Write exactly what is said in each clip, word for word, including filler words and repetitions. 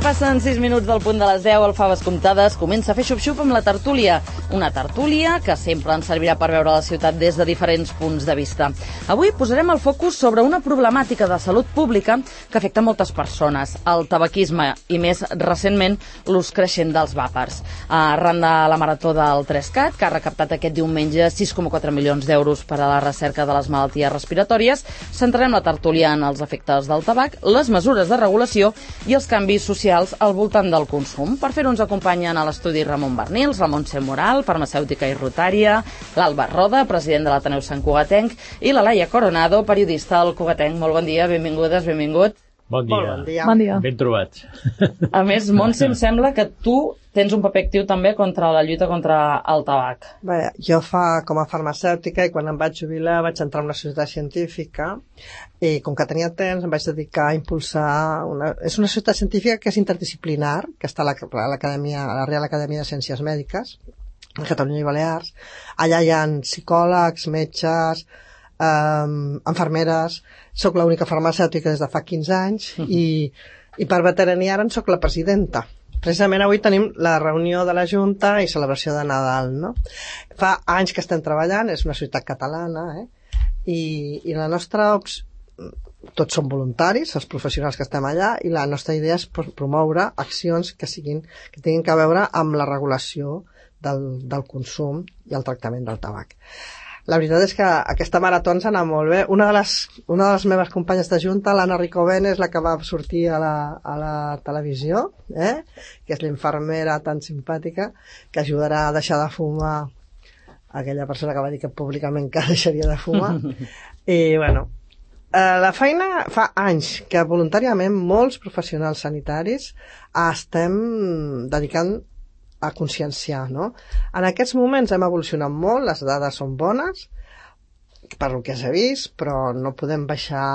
passen sis minuts del punt de les deu, el Faves Comptades comença a fer xup-xup amb la tertúlia. Una tertúlia que sempre ens servirà per veure la ciutat des de diferents punts de vista. Avui posarem el focus sobre una problemàtica de salut pública que afecta moltes persones, el tabaquisme i, més recentment, l'ús creixent dels vàpers. Arran de la marató del tres cat, que ha recaptat aquest diumenge sis coma quatre milions d'euros per a la recerca de les malalties respiratòries, centrarem la tertúlia en els efectes del tabac, les mesures de regulació i els canvis socials al voltant del consum. Per fer-ho ens acompanyen a l'estudi Ramon Bernils, la Montse Moral, farmacèutica i rotària, l'Alba Roda, president de l'Ateneu Sant Cugatenc, i la Laia Coronado, periodista al Cugatenc. Molt bon dia, benvingudes, benvingut. Bon dia. Bon dia. Bon dia. Ben trobats. A més, Montse, em sembla que tu tens un paper actiu també contra la lluita contra el tabac. Bé, jo fa com a farmacèutica i quan em vaig jubilar vaig entrar en una societat científica i com que tenia temps em vaig dedicar a impulsar una... És una societat científica que és interdisciplinar, que està a l'Acadèmia, a la Real Acadèmia de Ciències Mèdiques, a Catalunya i Balears. Allà hi ha psicòlegs, metges, Um, enfermeres. Soc l'única farmacèutica des de fa quinze anys uh-huh. i, i per veterania ara en soc la presidenta. Precisament avui tenim la reunió de la Junta i celebració de Nadal, no? Fa anys que estem treballant, és una ciutat catalana, eh? I, i la nostra ops... tots són voluntaris, els professionals que estem allà, i la nostra idea és promoure accions que siguin, que tinguin a veure amb la regulació del, del consum i el tractament del tabac. La veritat és que aquesta marató ens ha anat molt bé. Una de les, una de les meves companyes de junta, l'Anna Ricovén, és la que va sortir a la, a la televisió, eh? Que és l'infermera tan simpàtica, que ajudarà a deixar de fumar aquella persona que va dir que públicament que deixaria de fumar. I, bueno, eh, la feina fa anys que voluntàriament molts professionals sanitaris estem dedicant a conscienciar, no? En aquests moments hem evolucionat molt, les dades són bones, per el que s'ha vist, però no podem baixar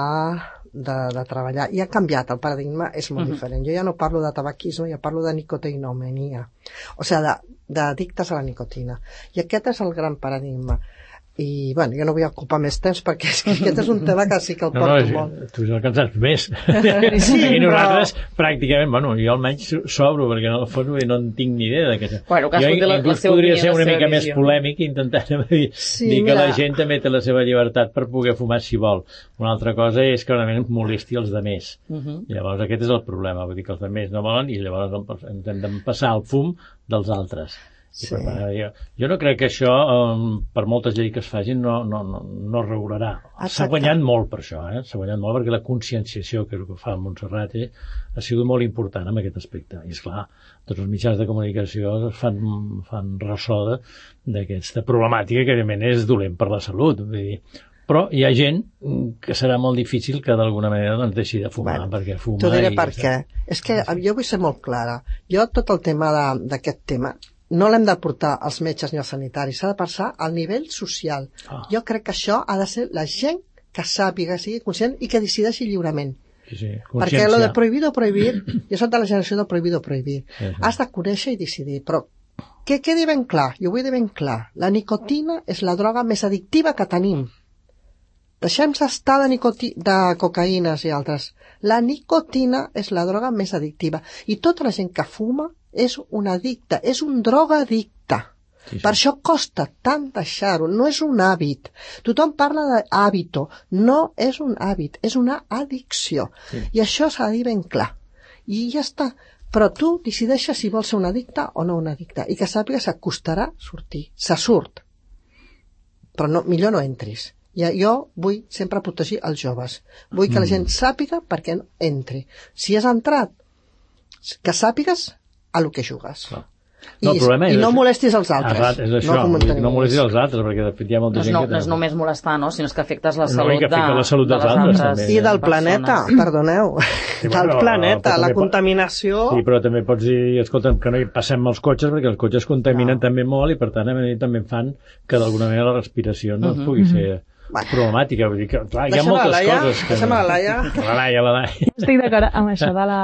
de, de treballar. I ha canviat, el paradigma és molt uh-huh. diferent. Jo ja no parlo de tabaquisme, ja parlo de nicotinomania, o sigui, d'addictes a la nicotina. I aquest és el gran paradigma. I, bueno, jo no vull ocupar més temps perquè és que aquest és un tema que sí que el no, porto no, molt. Tu és el que en saps més. Sí, I nosaltres, però... pràcticament, bueno, jo almenys s'obro perquè no, no en tinc ni idea d'aquest. Bueno, jo la, inclús la podria opinió, ser una mica visió. més polèmic intentant dir, sí, dir que mira... la gent també té la seva llibertat per poder fumar si vol. Una altra cosa és que realment molesti els demés. Uh-huh. Llavors aquest és el problema, vull dir que els demés no volen i llavors ens hem de passar el fum dels altres. Sí. Per tant, jo, jo no crec que això, um, per moltes lleis que es facin, no, no, no, no regularà. S'ha guanyat molt per això, eh? S'ha guanyat molt perquè la conscienciació, que és el que fa Montserrat, eh, ha sigut molt important en aquest aspecte. I, esclar, tots els mitjans de comunicació fan, fan ressò d'aquesta problemàtica que, evidentment, és dolent per la salut. Vull dir, però hi ha gent que serà molt difícil que d'alguna manera doncs, deixi de fumar, bueno, perquè fuma... T'ho diré per què. És que jo vull ser molt clara. Jo tot el tema d'aquest tema no l'hem de portar als metges ni als sanitaris, s'ha de passar al nivell social. Oh. Jo crec que això ha de ser la gent que sàpiga, sigui conscient i que decideixi lliurement. Sí, sí. Perquè lo de prohibir o prohibir, jo soc de la generació de prohibir o prohibir. Sí, sí. Has de conèixer i decidir, però que quedi ben clar, jo vull dir ben clar, la nicotina és la droga més addictiva que tenim. Deixem-se estar de, nicoti... de cocaïnes i altres. La nicotina és la droga més addictiva. I tota la gent que fuma és un addicte, és un drogadicte. Sí, sí. Per això costa tant deixar-ho, no és un hàbit. Tothom parla d'hàbito, no és un hàbit, és una addicció. Sí. I això s'ha de dir ben clar. I ja està. Però tu decideixes si vols ser un addicte o no un addicte. I que sàpigues que costarà sortir. Se surt. Però no, millor no entris. I jo vull sempre protegir els joves. Vull que la gent sàpiga per què no entri. Si has entrat, que sàpigues a lo que jugues. Clar. No, I, i no molestis els altres. Arrat, és això, no, no molestis els altres, perquè de fet hi ha molta no, gent no, que... No és només molestar, no? Sinó que afectes la no, salut, que de, la salut de dels les altres. altres I del planeta, perdoneu. Sí, bueno, del planeta, la contaminació... Sí, però també pots dir, escolta, que no hi passem els cotxes, perquè els cotxes contaminen no. també molt i per tant també fan que d'alguna manera la respiració no uh-huh. pugui ser... Bueno. problemàtica, vull dir que clar, hi ha moltes la Laia, coses que... Deixa'm la Laia. La Laia, la Laia. Estic d'acord amb això de la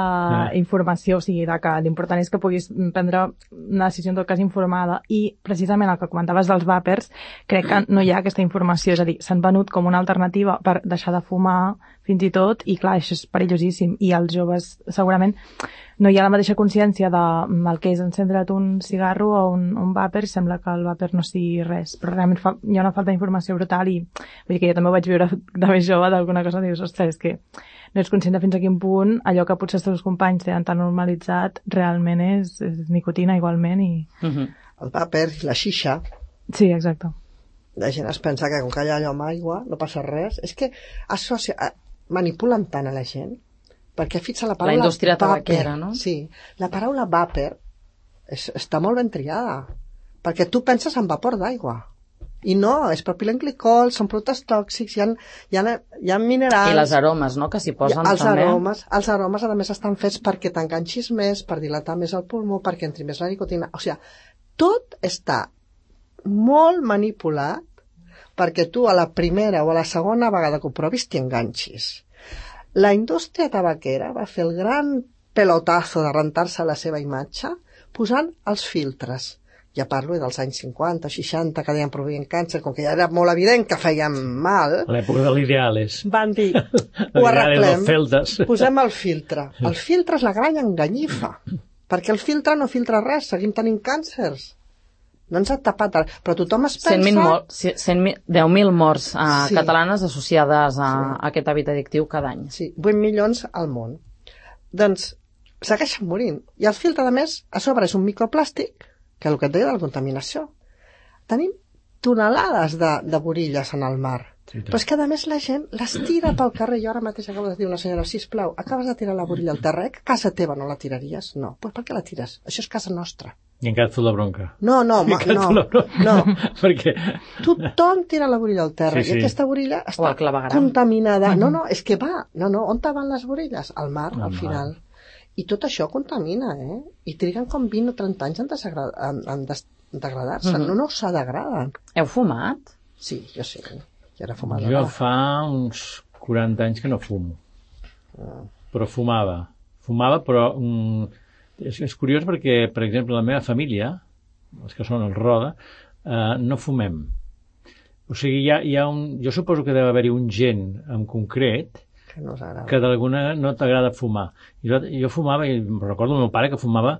informació, o sigui, de que l'important és que puguis prendre una decisió en tot cas informada i precisament el que comentaves dels vàpers, crec que no hi ha aquesta informació, és a dir, s'han venut com una alternativa per deixar de fumar fins i tot, i clar, això és perillosíssim, i els joves segurament no hi ha la mateixa consciència del que és encendre't un cigarro o un, un vàper, i sembla que el vàper no sigui res, però realment fa, hi ha una falta d'informació brutal, i vull dir que jo també ho vaig viure de més jove, d'alguna cosa, dius, ostres, és que no ets conscient de fins a quin punt allò que potser els teus companys tenen tan normalitzat realment és, és nicotina igualment, i... Uh-huh. El vàper i la xixa. Sí, exacte. La gent es pensa que com que hi ha allò amb aigua no passa res. És que associa, manipulen tant a la gent, perquè fixa la paraula... La indústria tabaquera, no? Sí, la paraula vàper és, està molt ben triada, perquè tu penses en vapor d'aigua. I no, és propilenglicol, són productes tòxics, hi ha, hi ha, hi ha minerals... I les aromes, no?, que s'hi posen els també. Aromes, els aromes, a més, estan fets perquè t'enganxis més, per dilatar més el pulmó, perquè entri més la nicotina... O sigui, tot està molt manipulat perquè tu a la primera o a la segona vegada que ho provis t'hi enganxis. La indústria tabaquera va fer el gran pelotazo de rentar-se la seva imatge posant els filtres. Ja parlo dels anys cinquanta, seixanta, que deien produïen càncer, com que ja era molt evident que feien mal. A l'època de l'Ideales. Van dir, ho arreglem, posem el filtre. El filtre és la gran enganyifa, perquè el filtre no filtra res, seguim tenint càncers. No ens ha tapat, però tothom es pensa... deu mil morts uh, sí. catalanes associades a, sí. a aquest hàbit addictiu cada any. Sí, vuit milions al món. Doncs segueixen morint. I el filtre, a més, a sobre és un microplàstic, que és el que et deia de la contaminació. Tenim tonelades de, de borilles en el mar. Sí, però és que, a més, la gent les tira pel carrer. Jo ara mateix acabo de dir una senyora, sisplau, acabes de tirar la borilla al terra, eh? Casa teva no la tiraries? No. Pues per què la tires? Això és casa nostra. I encara et fot la bronca. No, no, ma, no, no. Perquè... Tothom tira la borilla al terra, sí, sí. I aquesta borilla està contaminada. Mm-hmm. No, no, és que va. No, no, on van les borilles? Al mar, al, al final. Mar. I tot això contamina, eh? I triguen com vint o trenta anys en, en, en degradar-se. Mm-hmm. No, no se degraden. Heu fumat? Sí, jo sí. Jo era fumadora. Jo fa uns quaranta anys que no fumo. Ah. Però fumava. Fumava, però... Mm, és, és curiós perquè, per exemple, la meva família, els que són el Roda, eh, no fumem. O sigui, hi ha, hi ha un... Jo suposo que deu haver-hi un gen en concret que, no que d'alguna no t'agrada fumar. I jo, jo fumava, i recordo el meu pare que fumava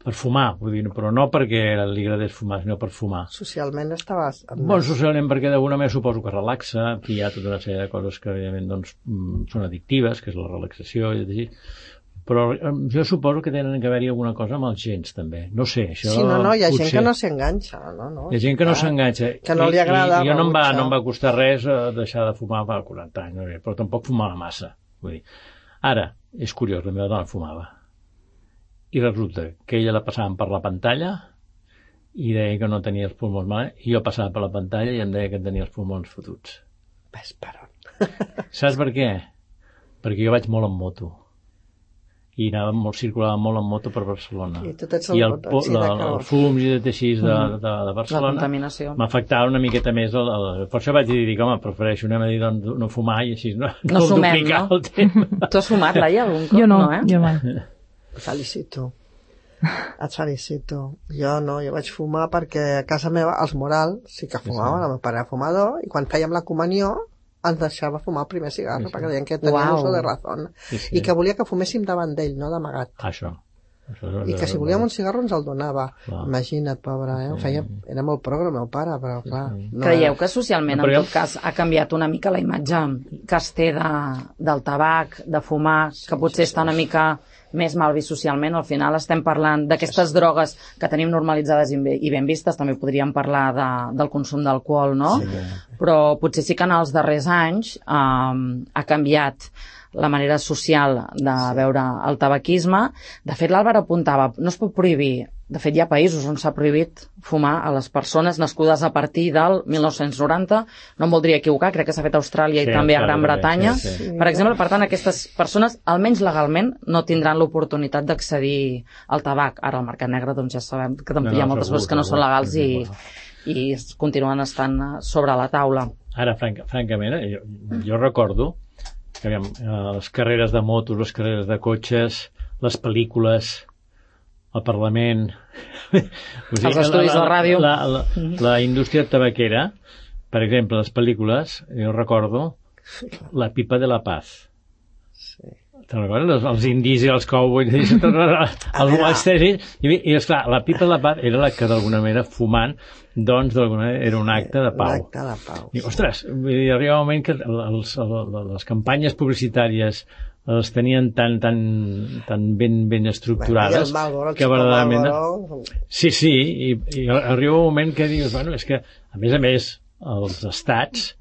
per fumar, vull dir, però no perquè li agradés fumar, sinó per fumar. Socialment estaves... Bon, socialment perquè d'alguna manera suposo que relaxa, que hi ha tota una sèrie de coses que, evidentment, doncs, són addictives, que és la relaxació, i així. Però jo suposo que tenen que haver-hi alguna cosa amb els gens, també. No sé, això... Sí, no, no, hi ha potser... gent que no s'enganxa, no, no. Hi ha gent que no s'enganxa. Que no li agrada... I, i jo no em, va, no em va costar res deixar de fumar per quaranta anys, no? Però tampoc fumava massa. Vull dir. Ara, és curiós, la meva dona fumava. I resulta que ella la passaven per la pantalla i deia que no tenia els pulmons mal, i jo passava per la pantalla i em deia que tenia els pulmons fotuts. Ves per on? Saps per què? Perquè jo vaig molt en moto. I anava molt, circulava molt en moto per Barcelona. I, el, I el, sí, la, els fums i de així de, de, de Barcelona m'afectava una miqueta més. El, el, per això vaig dir, dic, home, prefereixo anem a dir doncs, no fumar i així no, no, no sumem, duplicar no? El tema. Tu has fumat, Laia, algun cop? Jo no, no eh? jo mai. Felicito. Et felicito. Jo no, jo vaig fumar perquè a casa meva els Moral sí que fumaven, sí. El meu pare era fumador, i quan fèiem la comunió ens deixava fumar el primer cigarro, sí, sí. Perquè deien que tenia wow. Uso de razón. Sí, sí. I que volia que fuméssim davant d'ell, no d'amagat. Això. Això I que si volíem un cigarro ens el donava. Clar. Imagina't, pobre, eh? Sí. Feia, era molt progre, meu pare, però clar... Sí, sí. No Creieu era... que socialment, no, en tot cas, ha canviat una mica la imatge que es té de, del tabac, de fumar, sí, que potser sí, està una mica més mal vist socialment? Al final estem parlant d'aquestes sí. drogues que tenim normalitzades i ben vistes, també podríem parlar de, del consum d'alcohol, no? Sí. Però potser sí que en els darrers anys eh, ha canviat la manera social de sí. veure el tabaquisme. De fet, l'Àlvaro apuntava, no es pot prohibir. De fet, hi ha països on s'ha prohibit fumar a les persones nascudes a partir del mil nou-cents noranta. No em voldria equivocar, crec que s'ha fet a Austràlia sí, i també a Gran Bretanya. Sí, sí. Per exemple, per tant, aquestes persones, almenys legalment, no tindran l'oportunitat d'accedir al tabac. Ara, al mercat negre, doncs ja sabem que no, no, hi ha moltes coses que no són legals i, i continuen estant sobre la taula. Ara, franc, francament, jo, jo recordo que aviam, les carreres de motos, les carreres de cotxes, les pel·lícules, el Parlament... O sigui, els estudis la, de ràdio... La, la, la, la indústria tabaquera, per exemple, les pel·lícules, jo recordo La pipa de la paz. Sí. te'n recordes? Els, els indis i els cowboys, el western, i, i esclar, la pipa de la paz era la que d'alguna manera fumant, doncs d'alguna manera era un acte de pau. Un acte de pau. I, ostres, arriba un moment que els, els, les campanyes publicitàries les tenien tan, tan, tan ben, ben estructurades Malboro, que verdaderament... Sí, sí, i, i arriba un moment que dius, bueno, és que, a més a més, els estats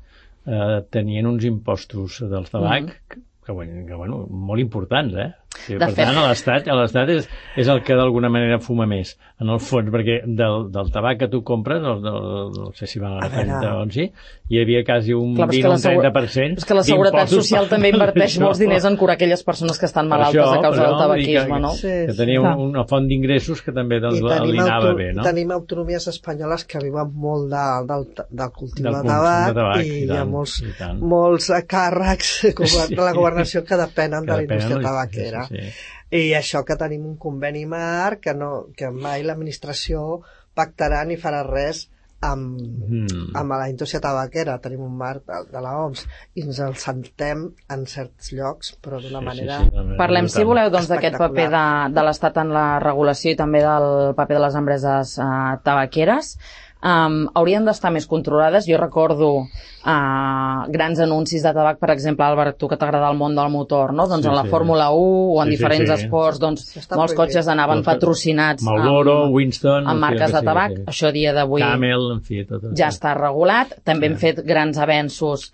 eh, tenien uns impostos del tabac mm. que, bueno, que, bueno, molt importants, eh? Sí, per fet... tant, a l'Estat, a l'Estat és, és el que d'alguna manera fuma més, en el fons, perquè del, del tabac que tu compres, no, no, no sé si van a trenta o sí, hi havia quasi un Clar, vint o un trenta per cent és que la Seguretat Social també inverteix molts diners en curar aquelles persones que estan malaltes això, a causa però, del tabaquisme, que, no? Sí, que tenia un, una font d'ingressos que també doncs, li anava bé, no? Tenim autonomies espanyoles que viuen molt de, del, del cultiu del de tabac, de tabac i, i, hi ha tant, molts, i molts càrrecs de la governació que depenen que de la indústria tabaquera. Sí, sí. I això que tenim un conveni marc que, no, que mai l'administració pactarà ni farà res amb, mm. amb la indústria tabaquera. Tenim un marc de, de l'O M S i ens el sentem en certs llocs, però d'una sí, manera... Sí, sí, Parlem, si voleu, doncs, d'aquest paper de, de l'Estat en la regulació i també del paper de les empreses eh, tabaqueres. Um, haurien d'estar més controlades. Jo recordo uh, grans anuncis de tabac, per exemple, Àlvar, tu que t'agrada el món del motor, no? Doncs sí, en la sí, Fórmula u o en sí, diferents sí, sí. esports, doncs molts cotxes anaven patrocinats Marlboro, amb, Winston, amb marques de tabac. Sí, sí. Això a dia d'avui Camel, en fi, tot ja està regulat. També sí. hem fet grans avenços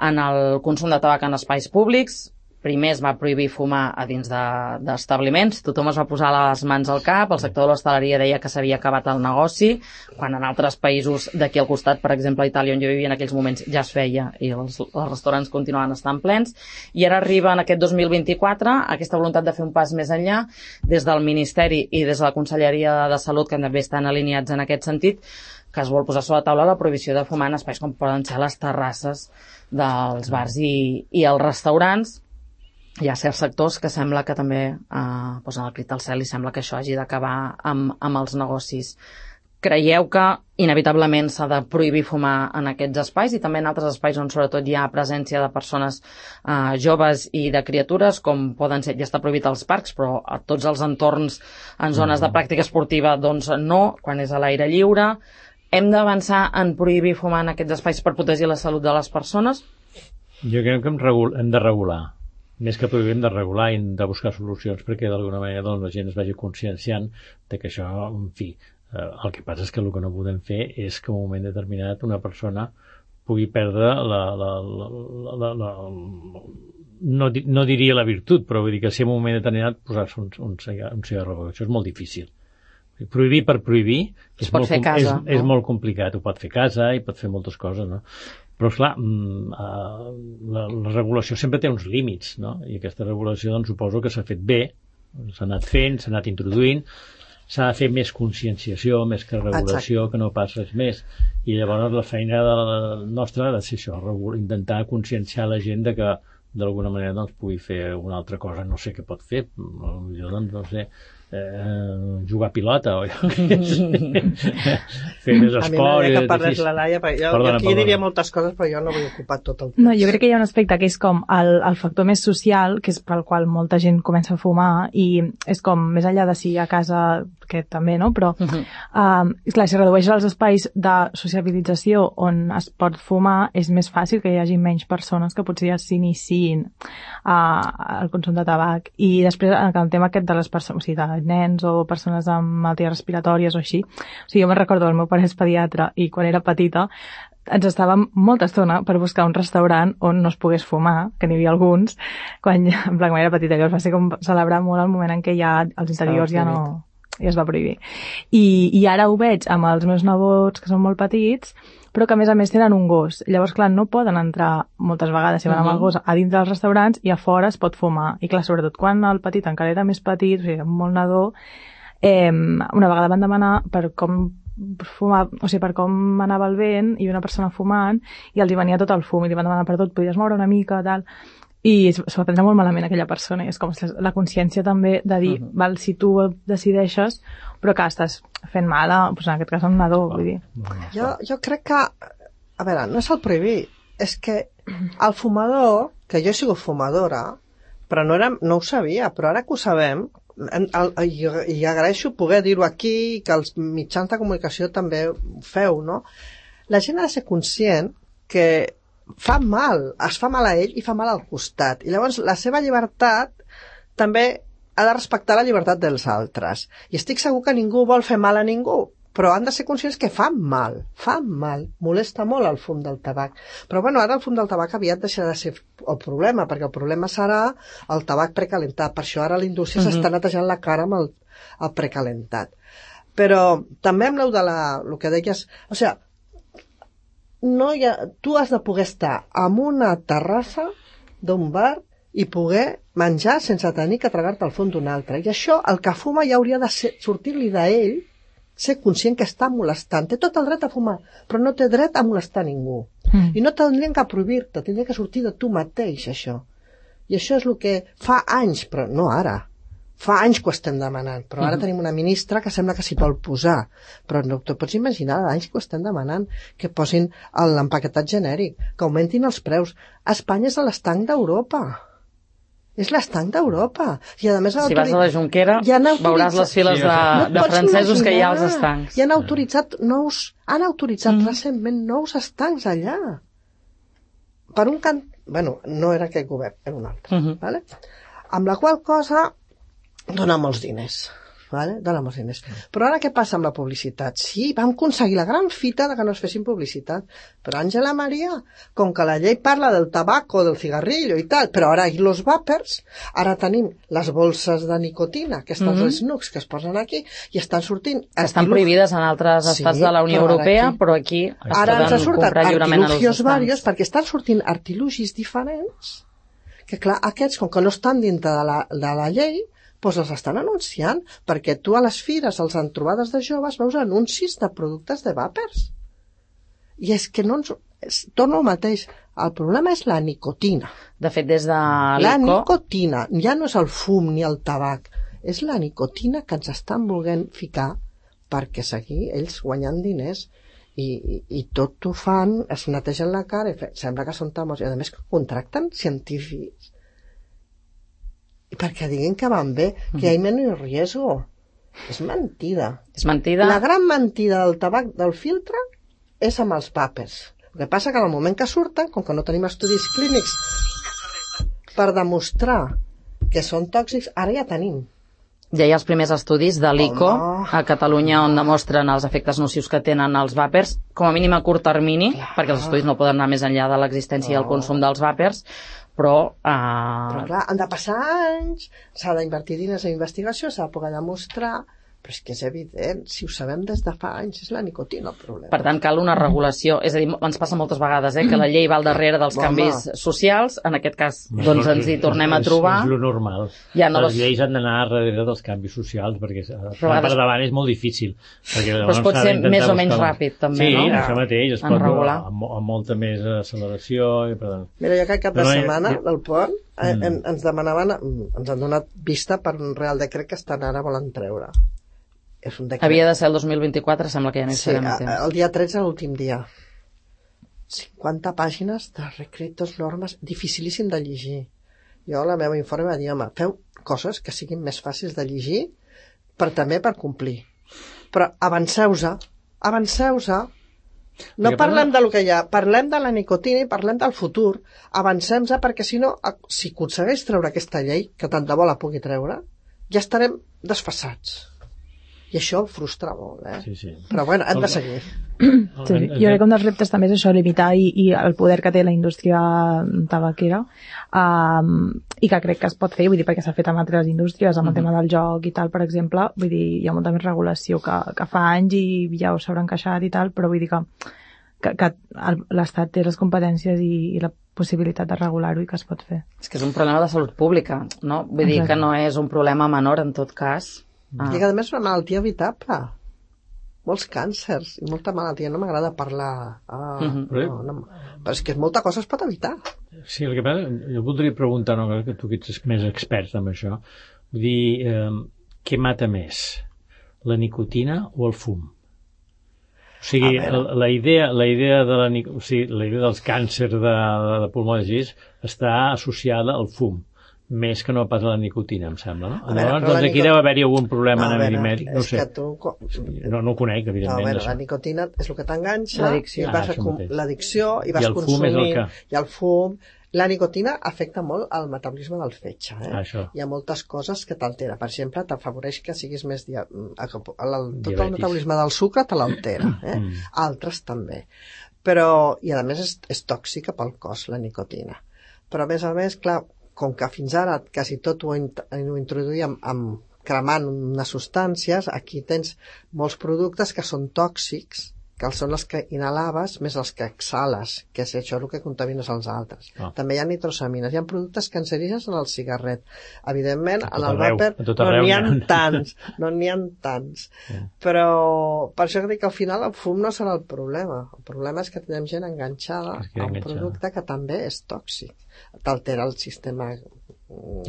en el consum de tabac en espais públics. Primer es va prohibir fumar a dins d'establiments, de, tothom es va posar les mans al cap, el sector de l'hostaleria deia que s'havia acabat el negoci, quan en altres països d'aquí al costat, per exemple a Itàlia, on jo vivia en aquells moments, ja es feia i els, els restaurants continuaven estant plens, i ara arriba en aquest dos mil vint-i-quatre aquesta voluntat de fer un pas més enllà des del Ministeri i des de la Conselleria de Salut, que també estan alineats en aquest sentit, que es vol posar sobre la taula la prohibició de fumar en espais com poden ser les terrasses dels bars i, i els restaurants. Hi ha certs sectors que sembla que també eh, posen el crit al cel i sembla que això hagi d'acabar amb, amb els negocis. Creieu que inevitablement s'ha de prohibir fumar en aquests espais i també en altres espais on sobretot hi ha presència de persones eh, joves i de criatures, com poden ser, ja està prohibit als parcs, però a tots els entorns en zones de pràctica esportiva doncs no, quan és a l'aire lliure. Hem d'avançar en prohibir fumar en aquests espais per protegir la salut de les persones? Jo crec que hem, regul hem de regular. Més que prohibir, hem de regular i hem de buscar solucions perquè d'alguna manera doncs, la gent es vagi conscienciant de que això, en fi, eh, el que passa és que el que no podem fer és que en un moment determinat una persona pugui perdre la... la, la, la, la no, no diria la virtut, però vull dir que si en un moment determinat posar-se un, un, un cigarro, això és molt difícil. Prohibir per prohibir és, molt, casa, és, no? és molt complicat. Ho pot fer casa i pot fer moltes coses, no? Però, esclar, la, la regulació sempre té uns límits, no? I aquesta regulació, doncs, suposo que s'ha fet bé, s'ha anat fent, s'ha anat introduint, s'ha de fer més conscienciació, més que regulació, Exacte. Que no pas res més. I llavors la feina de la nostra ha de ser això, intentar conscienciar la gent de que d'alguna manera doncs, pugui fer una altra cosa, no sé què pot fer, jo doncs, no sé, eh, jugar a pilota o fer més esport. A mi m'agradaria que parles la Laia, perquè jo, perdona, jo aquí perdona. diria moltes coses, però jo no vull ocupar tot el temps. No, jo crec que hi ha un aspecte que és com el, el factor més social, que és pel qual molta gent comença a fumar, i és com més enllà de si a casa, que també, no? Però, uh -huh. um, clar, si redueix els espais de sociabilització on es pot fumar, és més fàcil que hi hagi menys persones que potser ja s'iniciïn uh, al consum de tabac. I després, en el tema aquest de les persones, o sigui, de nens o persones amb malalties respiratòries o així, o sigui, jo me'n recordo, el meu pare és pediatre i quan era petita ens estàvem molta estona per buscar un restaurant on no es pogués fumar, que n'hi havia alguns, quan, en plan, quan era petita, que va ser com celebrar molt el moment en què ja els interiors ja no... ja es va prohibir. I, i ara ho veig amb els meus nebots, que són molt petits, però que a més a més tenen un gos. Llavors, clar, no poden entrar moltes vegades si van amb el gos a dins dels restaurants i a fora es pot fumar. I clar, sobretot quan el petit encara era més petit, o sigui, molt nadó, eh, una vegada van demanar per com fumar, o sigui, per com anava el vent i una persona fumant i els hi venia tot el fum i li van demanar per tot, podies moure una mica, tal... i s'ho va prendre molt malament aquella persona i és com la consciència també de dir, uh -huh. val, si tu decideixes, però que estàs fent mal a, doncs en aquest cas a un nadó, vull dir. Jo, jo crec que, a veure, no és el prohibir, és que el fumador, que jo he sigut fumadora, però no, era, no ho sabia, però ara que ho sabem, en, el, i, i agraeixo poder dir-ho aquí, que els mitjans de comunicació també ho feu, no? La gent ha de ser conscient que fa mal, es fa mal a ell i fa mal al costat. I llavors la seva llibertat també ha de respectar la llibertat dels altres. I estic segur que ningú vol fer mal a ningú, però han de ser conscients que fan mal, fan mal, molesta molt el fum del tabac. Però bueno, ara el fum del tabac aviat deixarà de ser el problema, perquè el problema serà el tabac precalentat. Per això ara la indústria mm-hmm. s'està netejant la cara amb el, el precalentat. Però també amb el de la, el que deies, o sigui, no hi ha, tu has de poder estar en una terrassa d'un bar i poder menjar sense tenir que tragar-te al fum d'un altre. I això, el que fuma ja hauria de ser, sortir-li d'ell, ser conscient que està molestant. Té tot el dret a fumar, però no té dret a molestar ningú. Mm. I no tindrien que prohibir-te, tindria que sortir de tu mateix, això. I això és el que fa anys, però no ara. Fa anys que ho estem demanant, però ara mm. tenim una ministra que sembla que s'hi vol posar. Però no te pots imaginar, anys que ho estem demanant, que posin l'empaquetat genèric, que augmentin els preus. Espanya és l'estanc d'Europa. És l'estanc d'Europa. I a més, si vas a la Jonquera, veuràs les files de, no de francesos imaginar. Que hi ha als estancs. I han autoritzat nous, han autoritzat mm. recentment nous estancs allà. Per un cant... Bueno, no era aquest govern, era un altre. Mm-hmm. Vale? Amb la qual cosa dona molts diners. Vale? Dona molts diners. Però ara què passa amb la publicitat? Sí, vam aconseguir la gran fita de que no es fessin publicitat. Però Àngela Maria, com que la llei parla del tabaco, del cigarrillo i tal, però ara hi los vapers, ara tenim les bolses de nicotina, aquestes mm-hmm. snooks que es posen aquí, i estan sortint... Estan artilu... prohibides en altres sí, estats de la Unió Europea, aquí, però aquí es ara poden ens surten comprar lliurement als artilugis varios, perquè estan sortint artilugis diferents, que clar, aquests, com que no estan dintre de la, de la llei, doncs els estan anunciant, perquè tu a les fires, als entrobades de joves, veus anuncis de productes de vapers. I és que no ens... És, torno al mateix. El problema és la nicotina. De fet, des de l'I C O... La nicotina. Ja no és el fum ni el tabac. És la nicotina que ens estan volent ficar perquè seguir ells guanyant diners i, i, i tot ho fan, es netegen la cara i fe, sembla que són tamos. I a més contracten científics i perquè diguin que van bé, que hi ha menys riesgo. És mentida. És mentida. La gran mentida del tabac del filtre és amb els vapers. El que passa que en el moment que surten, com que no tenim estudis clínics per demostrar que són tòxics, ara ja tenim. Ja hi ha els primers estudis de l'I C O oh, no. a Catalunya on demostren els efectes nocius que tenen els vàpers, com a mínim a curt termini, clar, perquè els estudis no poden anar més enllà de l'existència oh. i el consum dels vàpers, però... Uh... Però clar, han de passar anys, s'ha d'invertir diners en investigació, s'ha de poder demostrar, però és que és evident, si ho sabem des de fa anys, és la nicotina el problema. Per tant, cal una regulació, és a dir, ens passa moltes vegades, eh, que la llei va al darrere dels Home. canvis socials, en aquest cas, doncs ens hi tornem a trobar. És, és lo normal. Ja no les les... lleis han d'anar darrere dels canvis socials, perquè vegades... per davant és molt difícil. Perquè però es pot ser més o menys ràpid, també, sí, no? Sí, això mateix, es en pot regular. Amb, amb molta més acceleració. I, perdó. Mira, jo aquest cap de no, setmana ja... del pont eh, mm. ens demanaven, ens han donat vista per un real decret que estan ara volen treure. És un decret. Havia de ser el dos mil vint-i-quatre, sembla que ja no hi sí, serem a temps. El dia tretze, l'últim dia. cinquanta pàgines de recritos, normes, dificilíssim de llegir. Jo, la meva informe va dir, home, feu coses que siguin més fàcils de llegir, però també per complir. Però avanceu-se, avanceu-se. No perquè parlem de lo que hi ha, parlem de la nicotina i parlem del futur. Avancem-se perquè, si no, si aconsegueix treure aquesta llei, que tant de bo la pugui treure, ja estarem desfasats. I això el frustra molt, eh? Sí, sí. Però bueno, hem de seguir. Sí, jo crec que un dels reptes també és això, limitar i, i el poder que té la indústria tabaquera um, i que crec que es pot fer, vull dir, perquè s'ha fet amb altres indústries, amb el tema del joc i tal, per exemple, vull dir, hi ha molta més regulació que, que fa anys i ja ho s'haurà encaixat i tal, però vull dir que, que, que l'Estat té les competències i, i la possibilitat de regular-ho i que es pot fer. És que és un problema de salut pública, no? Vull Exacte. dir que no és un problema menor en tot cas. Ah. I a més és una malaltia evitable. Molts càncers i molta malaltia. No m'agrada parlar... Ah, mm-hmm. no, no. Però és que molta cosa es pot evitar. Sí, el que passa... Jo voldria preguntar, no, que tu que ets més expert en això, vull dir, eh, què mata més? La nicotina o el fum? O sigui, la, la, idea, la, idea de la, o sigui, la idea dels càncers de, de, de pulmó de gis està associada al fum. més que no pas la nicotina, em sembla, no? A veure, Llavors, però doncs la aquí nicot- deu haver-hi algun problema No, a a nivell veure, mèdic, no ho és sé. que tu... No, no ho conec, No, a evidentment. veure, d'això. la nicotina és el que t'enganxa L'addicció. i vas Ah, a això com- mateix. l'addicció i I vas el fum és el consumint que- i el fum. La nicotina afecta molt el metabolisme del fetge. Eh? Ah, això. Hi ha moltes coses que t'altera. Per exemple, t'afavoreix que siguis més... Dia... el- Tot el Diabetis. metabolisme del sucre te l'altera. Eh? Mm. Altres també. Però, i a més és, és tòxica pel cos, la nicotina. Però a més a més, clar, com que fins ara quasi tot ho, int- ho introduïem amb cremant unes substàncies, aquí tens molts productes que són tòxics, que són els que inhalaves més els que exhales, que és això el que contamines als altres. Ah. També hi ha nitrosamines, hi ha productes cancerígens en el cigarret. Evidentment, A tot en el arreu, vàper a tot no arreu n'hi ha n'hi ha. tants, no n'hi ha tants. Sí. Però per això que dic que al final el fum no serà el problema. El problema és que tenim gent enganxada Es queda a un enganxada. producte que també és tòxic. T'altera el sistema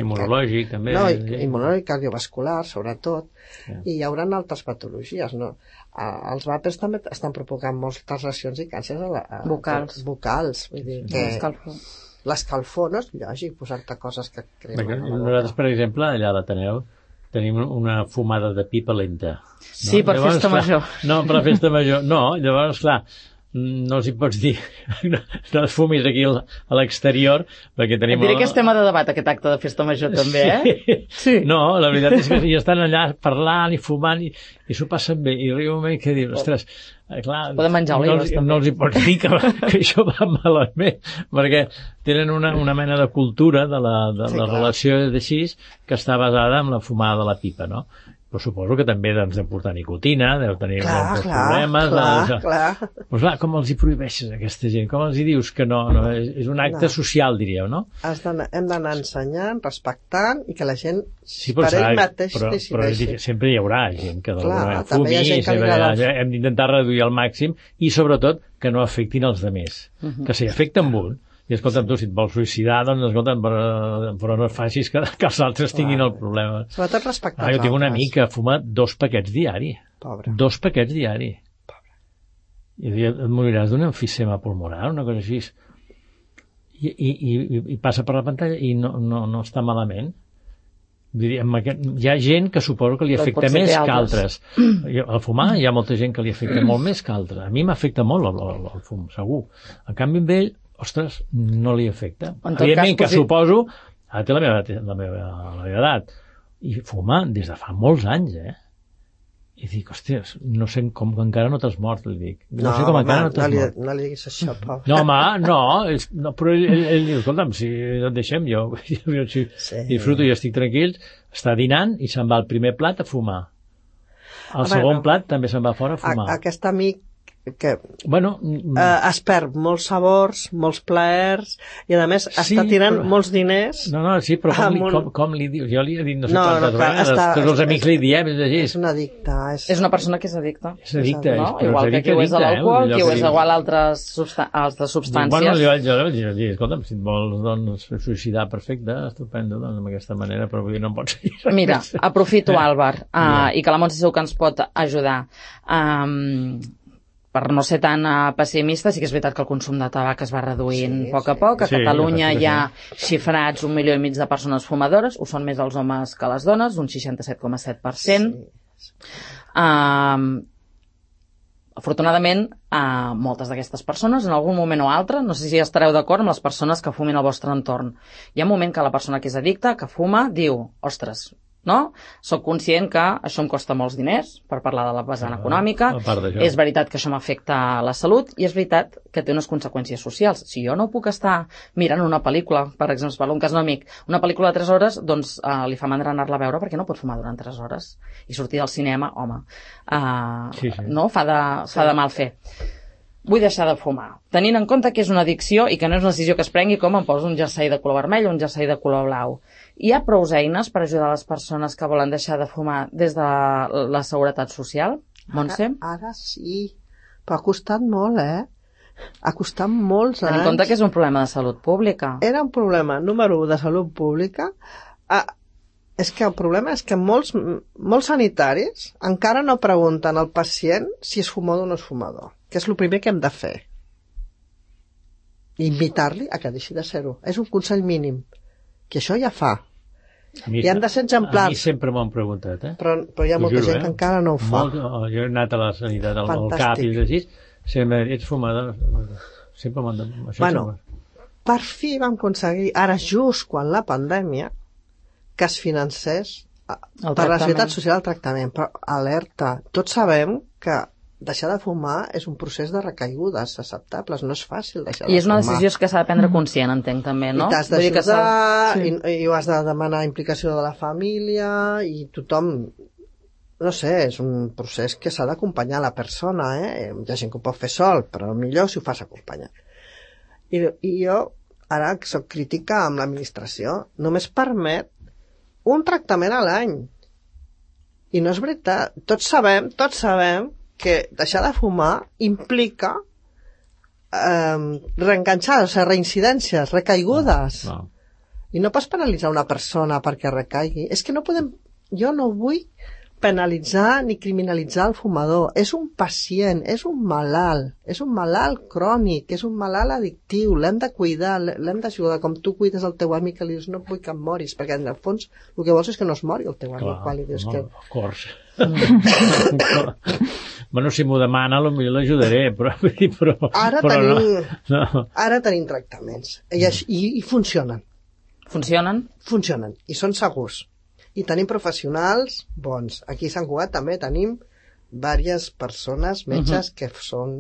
Immunològic, també. no, sí. immunològic, cardiovascular, sobretot, Sí. i hi haurà altres patologies, no? A, els vàpers també estan provocant moltes lesions i càncers a la, a, Vocals. vocals, vull dir que Escalfor. l'escalfor no és lògic posar-te coses que Perquè cremen a la nosaltres, boca. per exemple, allà a l'Ateneu, tenim una fumada de pipa lenta. Sí, per festa clar, major. No, per la festa major. No, llavors, clar, no els hi pots dir no, no es fumis aquí al- a l'exterior, perquè Et tenim... diré que és tema de debat, aquest acte de festa major, també, eh? Sí. No, la veritat és que hi estan allà parlant i fumant i, i s'ho passen bé. I arriba un moment que dius, ostres, eh, clar, Poden menjar no, olives, els, també. no els hi pots dir que, que això va malament, perquè tenen una, una mena de cultura de la, de Sí, la clar. relació d'així que està basada en la fumada de la pipa, no? Però suposo que també doncs, de portar nicotina, deu tenir Clar, molts clar, problemes. clar, de, clar. Pues clar, com els hi prohibeixes a aquesta gent? Com els hi dius que no? no és, és un acte No. social, diríeu, no? Has d'anar- hem d'anar ensenyant, respectant i que la gent Sí, per però, ell saps, mateix però, però decideixi. dic, sempre hi haurà gent que d'alguna Clar, manera també hi ha fumi, gent que li sempre hi ha- agrada el- hem d'intentar reduir al màxim i sobretot que no afectin els demés. Uh -huh. Que si afecten un, i escolta'm, tu, si et vols suïcidar, doncs escolta'm, però, però no facis que, que els altres tinguin Clar. el problema. Sobretot respectar Ah, jo els tinc una altres. amiga que fuma dos paquets diari. Pobre. Dos paquets diari. I diu, et moriràs d'un emfisema pulmonar, una cosa així. I, i, i, i passa per la pantalla i no, no, no està malament. Vull dir, amb aquest, hi ha gent que suposo que li Però afecta potser té més que altres. altres. Jo, al fumar hi ha molta gent que li afecta molt més que altres. A mi m'afecta molt el, el, el fum, segur. En canvi, amb ell, ostres, no li afecta. En tot Evidentment cas, que posi- suposo, ara té la meva, la meva, la meva edat, i fuma des de fa molts anys, eh? I dic, hòsties, no sé com que encara no t'has mort, li dic. No, sé com home, encara no no, t'has li, mort. no li diguis això, pobre. No, home, no, és, no però ell, ell, ell diu, escolta'm, si et deixem, jo, jo si Sí. disfruto i estic tranquil, està dinant i se'n va al primer plat a fumar. Al A segon veure, plat també se'n va fora a fumar. A, aquest amic que Bueno, mm, eh, es perd molts sabors, molts plaers i a més Sí, està tirant però- molts diners. no, no, sí, però com, li, amb un- com, com li dius? Jo li he dit no sé No, quantes no, clar, vegades, està- tots els és- amics li diem, és així. És un addicte. És, És una persona que és addicta. És addicte, No? és, però Igual és que addicte, qui ho és a addicte, eh? l'alcohol, Allò qui ho que és diu- igual a altres, substan altres Dic, substàncies. bueno, jo, jo, jo, jo, escolta'm, si et vols doncs, suïcidar, perfecte, estupendo, doncs, d'aquesta manera, però vull dir, no pots seguir. Mira, aprofito, Àlvar, uh, i que la Montse segur que ens pot ajudar. Um, per no ser tan uh, pessimista, sí que és veritat que el consum de tabac es va reduint Sí, a poc a sí. poc. A Sí, Catalunya la veritat hi ha xifrats un milió i mig de persones fumadores, ho són més els homes que les dones, un seixanta-set coma set per cent. Sí. Um, afortunadament, uh, moltes d'aquestes persones, en algun moment o altre, no sé si estareu d'acord amb les persones que fumin al vostre entorn. Hi ha un moment que la persona que és addicta, que fuma, diu, ostres, no? Soc conscient que això em costa molts diners, per parlar de la vessant Ah, econòmica, a part d'això. és veritat que això m'afecta la salut i és veritat que té unes conseqüències socials. Si jo no puc estar mirant una pel·lícula, per exemple, per un cas no amic, una pel·lícula de tres hores, doncs uh, li fa mandra anar-la a veure perquè no pot fumar durant tres hores. I sortir del cinema, home, uh, Sí, sí. no? Fa de, fa de mal fer. Vull deixar de fumar. Tenint en compte que és una addicció i que no és una decisió que es prengui com em poso un jersei de color vermell o un jersei de color blau. Hi ha prou eines per ajudar les persones que volen deixar de fumar des de la seguretat social? Montse? Ara, ara sí, però ha costat molt, eh? Ha costat molts Tenint en anys. compte que és un problema de salut pública. Era un problema número u de salut pública. Ah, és que el problema és que molts, molts sanitaris encara no pregunten al pacient si és fumador o no és fumador, que és el primer que hem de fer. Invitar-li a que deixi de ser-ho. És un consell mínim, que això ja fa mi, I han de ser exemplars. A mi sempre m'ho han preguntat, eh? Però, però hi ha molta juro, gent eh? que encara no ho fa. Molt, oh, jo he anat a la sanitat, al, al Fantàstic. cap i així, sempre ets fumador. Sempre m'han de... Això Bueno, sempre... per fi vam aconseguir, ara just quan la pandèmia, que es financés El per la tractament. Seguretat Social el tractament. Però alerta, tots sabem que deixar de fumar és un procés de recaigudes acceptables, no és fàcil deixar de fumar. I és una decisió que s'ha de prendre conscient, entenc, també, no? I t'has Vull dir que s'ha- d'ajudar, Sí. i, i ho has de demanar implicació de la família, i tothom... No sé, és un procés que s'ha d'acompanyar la persona, eh? Hi ha gent que ho pot fer sol, però millor si ho fas acompanyat. I, i jo, ara que soc crítica amb l'administració, només permet un tractament a l'any. I no és veritat. Tots sabem, tots sabem que deixar de fumar implica eh, reenganxar, o sigui, reincidències, recaigudes. No. I no pots penalitzar una persona perquè recaigui. És que no podem... Jo no vull penalitzar ni criminalitzar el fumador. És un pacient, és un malalt, és un malalt crònic, és un malalt addictiu, l'hem de cuidar, l'hem d'ajudar, com tu cuides el teu amic que li dius no vull que em moris, perquè en el fons el que vols és que no es mori el teu amic, Clar, quan li dius no, que... of course. Bueno, si m'ho demana, potser l'ajudaré, però... però Ara però tenim, no, no. ara tenim tractaments, i, així- i, i funcionen, Funcionen? funcionen, i són segurs. I tenim professionals bons. Aquí a Sant Cugat també tenim diverses persones, metges, uh -huh. que són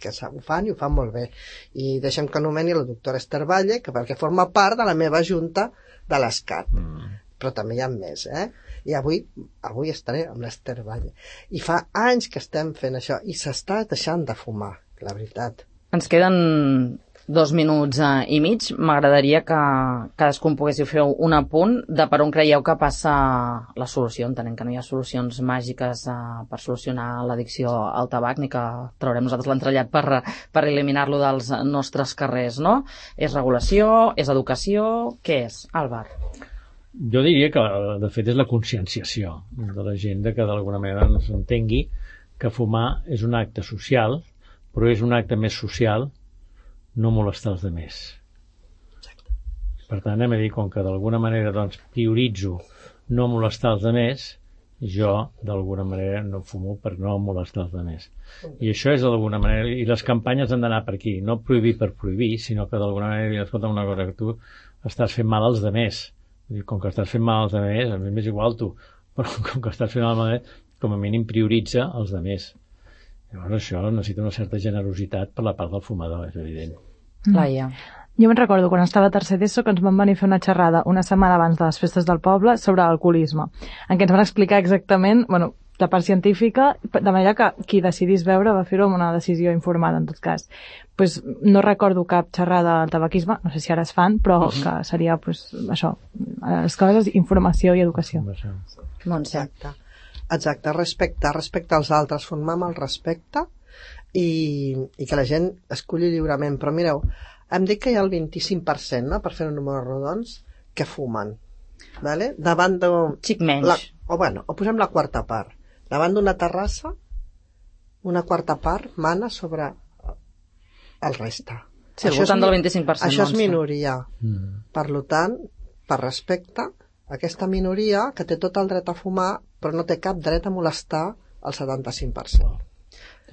que ho fan i ho fan molt bé. I deixem que nomeni la doctora Esther Valle, que perquè forma part de la meva junta de l'ESCAT. Mm. Però també hi ha més, eh? I avui, avui estaré amb l'Esther Valle. I fa anys que estem fent això, i s'està deixant de fumar, la veritat. Ens queden dos minuts eh, i mig. M'agradaria que cadascun poguéssiu fer un apunt de per on creieu que passa la solució. Entenem que no hi ha solucions màgiques eh, per solucionar l'addicció al tabac, ni que traurem nosaltres l'entrellat per, per eliminar-lo dels nostres carrers, no? És regulació? És educació? Què és, Àlvar? Jo diria que, de fet, és la conscienciació de la gent, de que d'alguna manera no s'entengui que fumar és un acte social, però és un acte més social no molestar els altres. Per tant, hem de dir, com que d'alguna manera doncs, prioritzo no molestar els altres, jo d'alguna manera no fumo per no molestar els altres. I això és d'alguna manera, i les campanyes han d'anar per aquí, no prohibir per prohibir, sinó que d'alguna manera dir, escolta, una cosa, que tu estàs fent mal als altres. Com que estàs fent mal als altres, a mi m'és igual tu, però com que estàs fent mal als altres, com a mínim prioritza els altres. Llavors això necessita una certa generositat per la part del fumador, és evident. Laia. Jo me'n recordo quan estava a tercer d'ESO que ens van venir a fer una xerrada una setmana abans de les festes del poble sobre alcoholisme, en què ens van explicar exactament, bueno, la part científica, de manera que qui decidís veure va fer-ho amb una decisió informada, en tot cas. Pues, no recordo cap xerrada del tabaquisme, no sé si ara es fan, però que seria pues, això, les coses, informació i educació. Montse. Exacte. Exacte, respecte, respecte als altres, formar amb el respecte i, i que la gent esculli lliurement. Però mireu, hem dit que hi ha el vint-i-cinc per cent, no?, per fer un número rodons, que fumen. Vale? Davant de... Xic menys. La, o, bueno, o posem la quarta part. Davant d'una terrassa, una quarta part mana sobre el reste. Sí, al voltant del vint-i-cinc per cent. Això és Montse. minoria. Mm. Per tant, per respecte, aquesta minoria que té tot el dret a fumar, però no té cap dret a molestar el setanta-cinc per cent.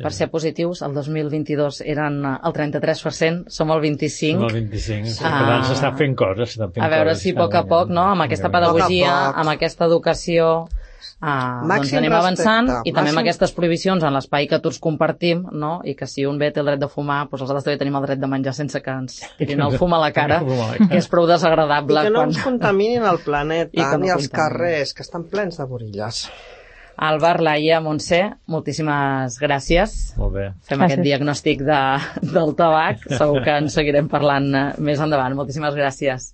Per ser positius, el dos mil vint-i-dos eren el trenta-tres per cent, som el vint-i-cinc. Som el vint-i-cinc. Sí. Ah. Per tant, s'estan fent coses. Fent A veure coses, si a poc a poc, no?, amb aquesta pedagogia, Poc a poc. amb aquesta educació, ah, doncs Màxim anem avançant, respecte, i també amb màxim- aquestes prohibicions en l'espai que tots compartim, no?, i que si un bé té el dret de fumar, doncs els altres també tenim el dret de menjar sense que ens tirin el fum a la cara, que és prou I desagradable. que no quan... ens contaminin el I planeta, que no ni els contaminin. carrers, que estan plens de borilles. Àlvar, Laia, Montse, moltíssimes gràcies. Molt bé. Fem Gràcies. aquest diagnòstic de, del tabac. Segur que en seguirem parlant eh, més endavant. Moltíssimes gràcies.